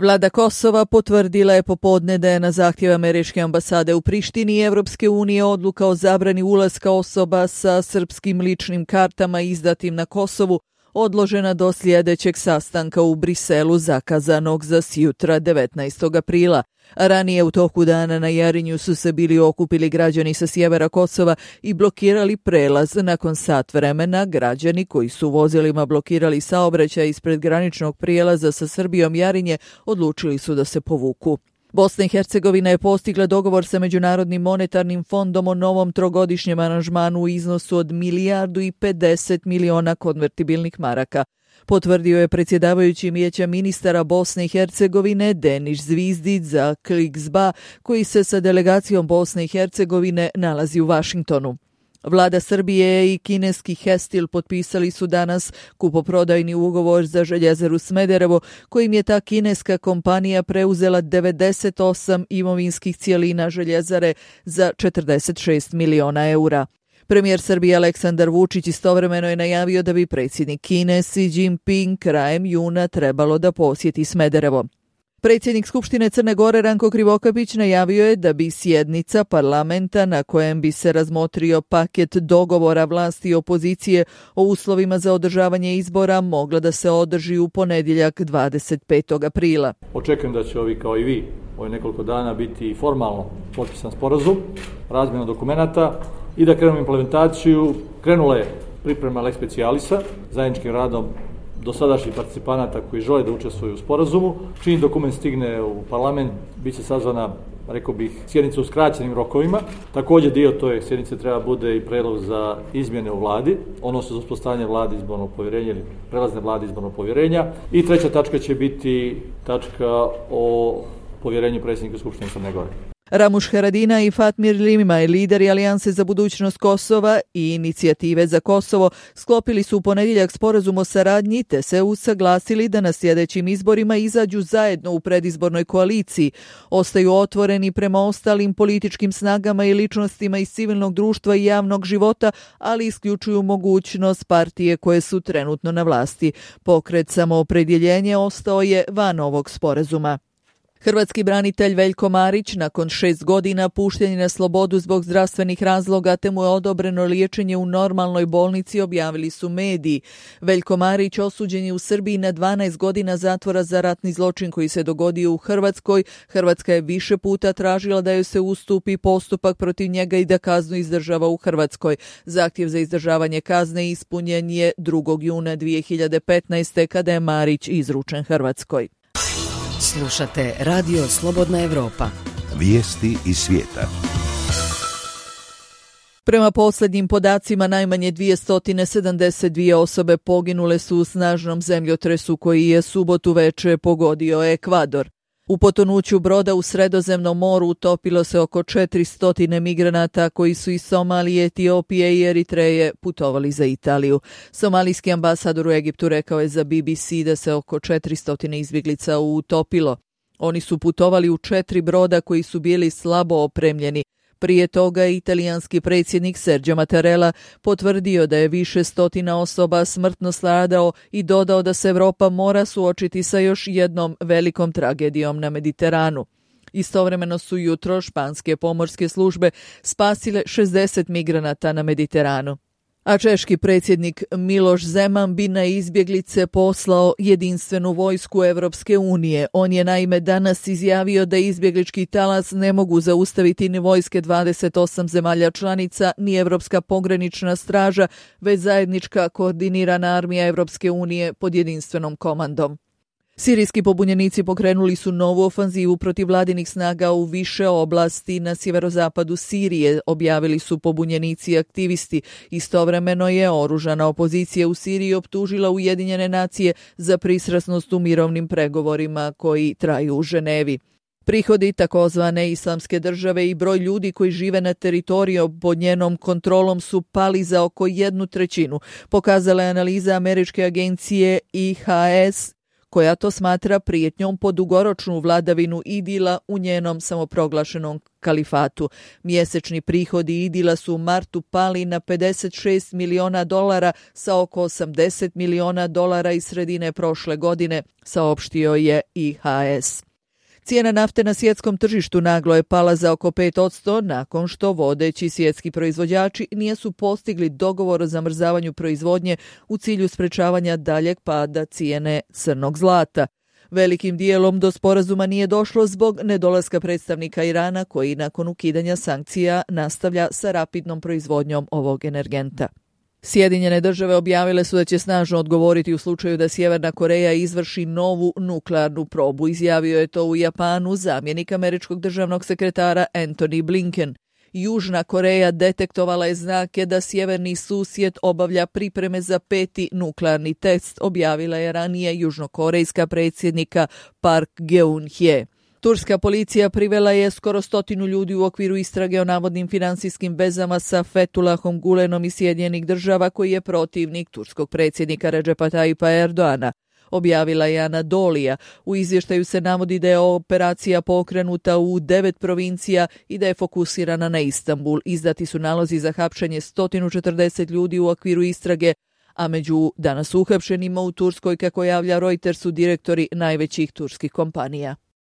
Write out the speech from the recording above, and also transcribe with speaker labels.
Speaker 1: Vlada Kosova potvrdila je popodne da je na zahtjev američke ambasade u Prištini i Evropske unije odluka o zabrani ulaska osoba sa srpskim ličnim kartama izdatim na Kosovu odložena do sljedećeg sastanka u Briselu zakazanog za sjutra 19. aprila. Ranije u toku dana na Jarinju su se bili okupili građani sa sjevera Kosova i blokirali prelaz. Nakon sat vremena građani koji su vozilima blokirali saobraćaj ispred graničnog prijelaza sa Srbijom Jarinje odlučili su da se povuku. Bosna i Hercegovina je postigla dogovor sa Međunarodnim monetarnim fondom o novom trogodišnjem aranžmanu u iznosu od 1,50 milijardi konvertibilnih maraka. Potvrdio je predsjedavajući Vijeća ministara Bosne i Hercegovine Denis Zvizdić za Kliksba, koji se sa delegacijom Bosne i Hercegovine nalazi u Vašingtonu. Vlada Srbije i kineski Hestil potpisali su danas kupoprodajni ugovor za željezaru Smederevo, kojim je ta kineska kompanija preuzela 98 imovinskih cijelina željezare za 46 miliona eura. Premijer Srbije Aleksandar Vučić istovremeno je najavio da bi predsjednik Kine Xi Jinping krajem juna trebalo da posjeti Smederevo. Predsjednik Skupštine Crne Gore Ranko Krivokapić najavio je da bi sjednica parlamenta na kojem bi se razmotrio paket dogovora vlasti i opozicije o uslovima za održavanje izbora mogla da se održi u ponedjeljak 25. aprila.
Speaker 2: Očekujem da će ovi kao i vi ovih nekoliko dana biti formalno potpisan sporazum, razmjena dokumenata i da krenemo implementaciju. Krenula je priprema lex specialisa zajedničkim radom dosadašnjih participanata koji žele da učestvuju u sporazumu. Čim dokument stigne u parlament, bit će sazvana, rekao bih, sjednica u skraćenim rokovima. Također dio toj sjednice treba bude i predlog za izmjene u vladi, odnosno za uspostavljanje vlade izbornog povjerenja ili prelazne vlade izbornog povjerenja. I treća tačka će biti tačka o povjerenju predsjednika Skupštine Crne Gore.
Speaker 1: Ramuš Haradinaj i Fatmir Limaj, lideri Alijanse za budućnost Kosova i Inicijative za Kosovo, sklopili su u ponedjeljak sporazum o saradnji te se usaglasili da na sljedećim izborima izađu zajedno u predizbornoj koaliciji. Ostaju otvoreni prema ostalim političkim snagama i ličnostima iz civilnog društva i javnog života, ali isključuju mogućnost partije koje su trenutno na vlasti. Pokret Samoopredjeljenje ostao je van ovog sporazuma. Hrvatski branitelj Veljko Marić nakon 6 godina pušten je na slobodu zbog zdravstvenih razloga te mu je odobreno liječenje u normalnoj bolnici, objavili su mediji. Veljko Marić osuđen je u Srbiji na 12 godina zatvora za ratni zločin koji se dogodio u Hrvatskoj. Hrvatska je više puta tražila da joj se ustupi postupak protiv njega i da kaznu izdržava u Hrvatskoj. Zahtjev za izdržavanje kazne ispunjen je 2. juna 2015. kada je Marić izručen Hrvatskoj.
Speaker 3: Slušate Radio Slobodna Evropa.
Speaker 4: Vijesti iz svijeta.
Speaker 1: Prema posljednjim podacima, najmanje 272 osobe poginule su u snažnom zemljotresu koji je subotu veče pogodio Ekvador. U potonuću broda u Sredozemnom moru utopilo se oko 400 migranata koji su iz Somalije, Etiopije i Eritreje putovali za Italiju. Somalijski ambasador u Egiptu rekao je za BBC da se oko 400 izbjeglica utopilo. Oni su putovali u 4 broda koji su bili slabo opremljeni. Prije toga italijanski predsjednik Sergio Mattarella potvrdio da je više stotina osoba smrtno stradao i dodao da se Europa mora suočiti sa još jednom velikom tragedijom na Mediteranu. Istovremeno su jutro španske pomorske službe spasile 60 migranata na Mediteranu. A češki predsjednik Miloš Zeman bi na izbjeglice poslao jedinstvenu vojsku Evropske unije. On je naime danas izjavio da izbjeglički talas ne mogu zaustaviti ni vojske 28 zemalja članica, ni Evropska pogranična straža, već zajednička koordinirana armija Evropske unije pod jedinstvenom komandom. Sirijski pobunjenici pokrenuli su novu ofanzivu protiv vladinih snaga u više oblasti na sjeverozapadu Sirije, objavili su pobunjenici i aktivisti. Istovremeno je oružana opozicija u Siriji optužila Ujedinjene nacije za pristrasnost u mirovnim pregovorima koji traju u Ženevi. Prihodi takozvane islamske države i broj ljudi koji žive na teritoriju pod njenom kontrolom su pali za oko 1/3, pokazala je analiza američke agencije IHS, koja to smatra prijetnjom po dugoročnu vladavinu Idila u njenom samoproglašenom kalifatu. Mjesečni prihodi Idila su u martu pali na $56 miliona sa oko $80 miliona iz sredine prošle godine, saopštio je IHS. Cijena nafte na svjetskom tržištu naglo je pala za oko 5% nakon što vodeći svjetski proizvođači nisu postigli dogovor o zamrzavanju proizvodnje u cilju sprečavanja daljeg pada cijene crnog zlata. Velikim dijelom do sporazuma nije došlo zbog nedolaska predstavnika Irana koji nakon ukidanja sankcija nastavlja sa rapidnom proizvodnjom ovog energenta. Sjedinjene države objavile su da će snažno odgovoriti u slučaju da Sjeverna Koreja izvrši novu nuklearnu probu. Izjavio je to u Japanu zamjenik američkog državnog sekretara Antony Blinken. Južna Koreja detektovala je znake da sjeverni susjed obavlja pripreme za 5. nuklearni test, objavila je ranije južnokorejska predsjednika Park Geun-hye. Turska policija privela je skoro 100 ljudi u okviru istrage o navodnim financijskim vezama sa Fethullahom Gulenom iz Sjedinjenih država koji je protivnik turskog predsjednika Recepa Tayyipa Erdoana, objavila je Anadolija. U izvještaju se navodi da je operacija pokrenuta u 9 provincija i da je fokusirana na Istanbul. Izdati su nalozi za hapšenje 140 ljudi u okviru istrage, a među danas uhapšenima u Turskoj, kako javlja Reuters, su direktori najvećih turskih kompanija.